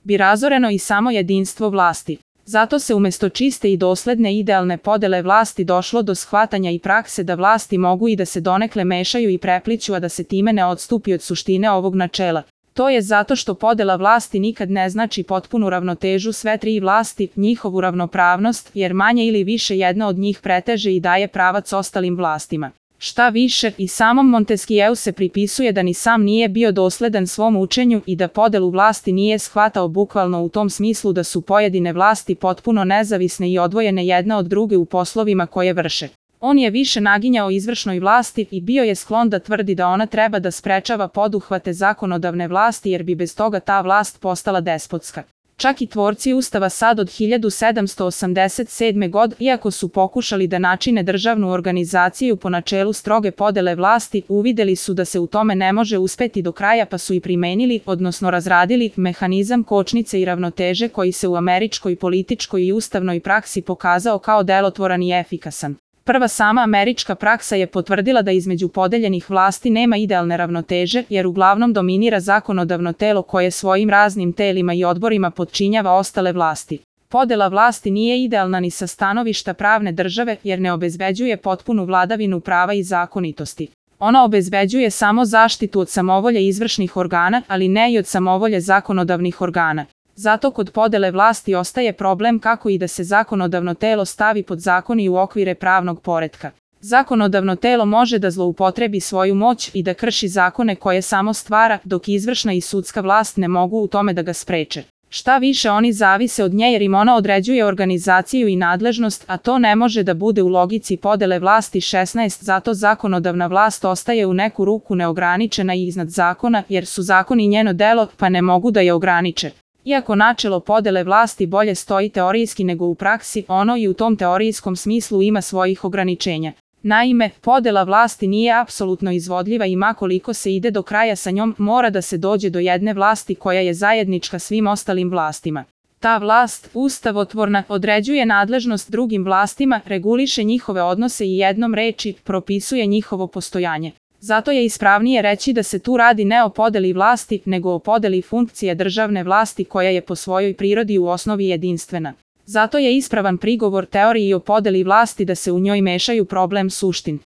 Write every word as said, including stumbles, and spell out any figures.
bi razoreno i samo jedinstvo vlasti. Zato se umjesto čiste i dosledne idealne podele vlasti došlo do shvatanja i prakse da vlasti mogu i da se donekle mešaju i prepliću, a da se time ne odstupi od suštine ovog načela. To je zato što podela vlasti nikad ne znači potpunu ravnotežu sve tri vlasti, njihovu ravnopravnost, jer manje ili više jedna od njih preteže i daje pravac ostalim vlastima. Šta više, i samom Montesquieu se pripisuje da ni sam nije bio dosledan svom učenju i da podelu vlasti nije shvatao bukvalno u tom smislu da su pojedine vlasti potpuno nezavisne i odvojene jedna od druge u poslovima koje vrše. On je više naginjao izvršnoj vlasti i bio je sklon da tvrdi da ona treba da sprečava poduhvate zakonodavne vlasti jer bi bez toga ta vlast postala despotska. Čak i tvorci Ustava sad od hiljadu sedamsto osamdeset sedme. godine, iako su pokušali da načine državnu organizaciju po načelu stroge podele vlasti, uvideli su da se u tome ne može uspeti do kraja pa su i primenili, odnosno razradili, mehanizam kočnice i ravnoteže koji se u američkoj političkoj i ustavnoj praksi pokazao kao delotvoran i efikasan. Prva sama američka praksa je potvrdila da između podeljenih vlasti nema idealne ravnoteže, jer uglavnom dominira zakonodavno telo koje svojim raznim telima i odborima podčinjava ostale vlasti. Podela vlasti nije idealna ni sa stanovišta pravne države, jer ne obezbeđuje potpunu vladavinu prava i zakonitosti. Ona obezbeđuje samo zaštitu od samovolje izvršnih organa, ali ne i od samovolje zakonodavnih organa. Zato kod podele vlasti ostaje problem kako i da se zakonodavno telo stavi pod zakon i u okvire pravnog poretka. Zakonodavno telo može da zloupotrebi svoju moć i da krši zakone koje samo stvara, dok izvršna i sudska vlast ne mogu u tome da ga spreče. Šta više, oni zavise od nje jer im ona određuje organizaciju i nadležnost, a to ne može da bude u logici podele vlasti šesnaest, zato zakonodavna vlast ostaje u neku ruku neograničena i iznad zakona, jer su zakoni njeno delo, pa ne mogu da je ograniče. Iako načelo podele vlasti bolje stoji teorijski nego u praksi, ono i u tom teorijskom smislu ima svojih ograničenja. Naime, podela vlasti nije apsolutno izvodljiva i ma koliko se ide do kraja sa njom, mora da se dođe do jedne vlasti koja je zajednička svim ostalim vlastima. Ta vlast, ustavotvorna, određuje nadležnost drugim vlastima, reguliše njihove odnose i jednom reči, propisuje njihovo postojanje. Zato je ispravnije reći da se tu radi ne o podeli vlasti, nego o podeli funkcije državne vlasti koja je po svojoj prirodi u osnovi jedinstvena. Zato je ispravan prigovor teoriji o podeli vlasti da se u njoj mešaju problem suštin.